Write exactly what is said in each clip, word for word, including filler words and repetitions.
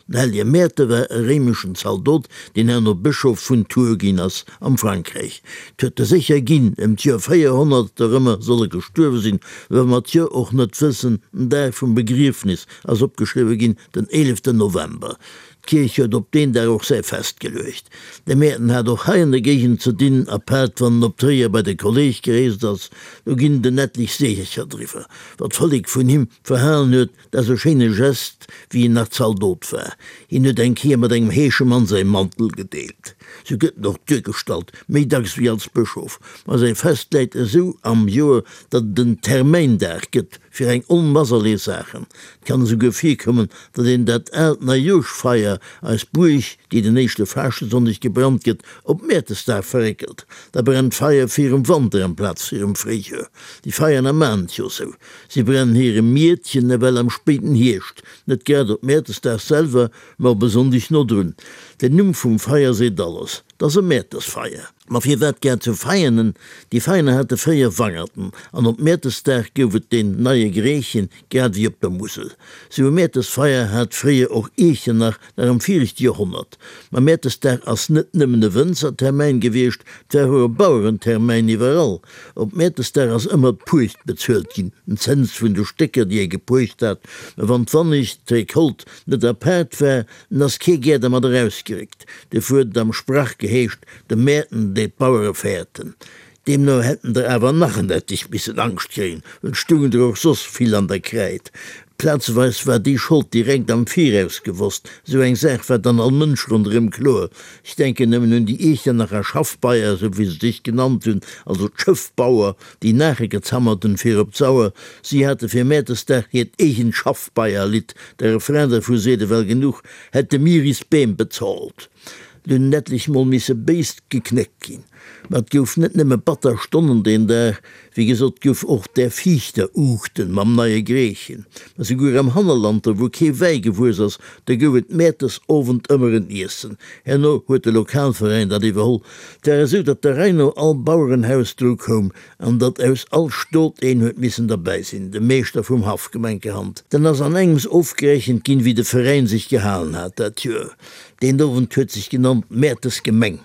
Den hellege Mäerte war e réimeschen Zaldot, deen herno Bëschof vun Tours ginn ass, am Frankräich. 't huet e sécher ginn, ëm d'Joer véierhonnert erëmmer soll e gestuerwe sinn, wa mer d'Joer och net wëssen. Den Dag vum Begriefnis ass opgeschriwwe ginn, den eeleften November. D'Kierch huet op deen Dag och säi Fest geluecht. De Mäerten hat och hei an der Géigend ze dinn, apaart wann en op Tréier bei de Kolleg gereest ass, do ginn et en etlich Seechercher driwwer. Wat d'Vollek vun him verhalen huet, dat ass e schéine Gest, wéi en nach Zaldot war. Hien huet eng Kéier mat engem Heeschemann säi Mantel gedeelt. Sou gëtt en och duergestallt, méi dacks wéi als Bëschof. Ma säi Fest läit esou am Joer, datt et en Termäindag gëtt fir eng Onmass allerlee Saachen. Et kann esouguer virkommen, datt een dat aalt Neijoerschfeier, eis Buerg, déi den éischte Faaschtesonndeg gebrannt gëtt, op Mäertesdag verréckelt. Da brennt d'Feier virum Wanter amplaz virum Fréijoer. Déi Feierner maan et jo sou. Si brennen hire Miertchen ewell am spéiden Hierscht, net grad op Mäertesdag selwer, ma op e Sonndeg nodrun. Den Numm vum Feier seet alles, 't ass e Mäertesfeier. Ma firwat grad zu Veianen? Déi Veianer hate fréier Wangerten, an op Mäertesdag gouf et deen neie Greechen, grad ewéi op der Musel. Sou e Mäertesfeier hat fréier och Iechternach, nach am viregte Joerhonnert. Ma Mäertesdag ass net nëmmen e Wënzertermäin gewiescht, 't war och e Bauerentermäin iwwerall. Op Mäertesdag ass ëmmer d'Puecht bezuelt ginn, den Zëns vun de Stécker, déi ee gepuecht hat. Ma wann d'Wannicht, d'Recolte, net apaart war, dann ass kee gär dermat erausgeréckt. Duerfir huet et am Sprach geheescht, De Mäerten, déi d'Bauere fäerten. Deemno hätten der awer nach en etlich missen Angscht kréien, well et stungen der och soss vill an der Kräid. Plazeweis war déi Schold direkt am Viraus gewosst, esou eng Saach war dann all Mënsch ronderëm kloer. Ech denken nëmmen un déi Iechternacher Schaffbeier, esou wéi se sech genannt hunn, also d'Schëffbauer, déi Naache gezammert hunn fir op d'Sauer. Si hate fir Mäertesdag hiert eegent Schaffbeierlidd, de Refrain dervu seet ewell genuch, Hätte mir is Beem bezahlt. Et hunn en etlech mol misse béis geknéckt ginn. Ma et gouf net nëmme batter Stonnen deen Dag, wéi gesot, gouf och där Viichter Uuchten mam neie Greechen. Ma souguer am Hannerland, do wou kee Wäi gewuess ass, do gouf et Mäertes Owend ëmmer en Iessen. Herno huet de Lokalveräin dat iwwerholl. Et war esou, datt der Rei no all Bauerenhaus dru koum an datt aus all Stot een huet missen derbäi sinn, de Meeschter vum Haff gemenkerhand. Dann ass an engems ofgerechent ginn, wéi de Veräin sech gehalen hat dat Joer. Deen Owend huet sech genannt Mäertesgemeng.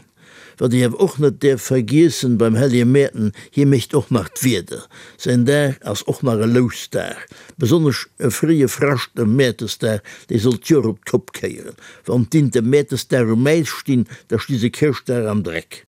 Wat ee awer och net däerf vergiessen beim hellege Mäerten, hie mécht och nach d'Wieder. Säin Dag ass och nach e Lousdag. Besonnesch e fréie Frascht um Mäertesdag, dee soll d'Joer op d'Kopp kéieren. Wann d'Inte Mäertesdag um Äis stinn, da sti se Chrëschtdag am Dreck.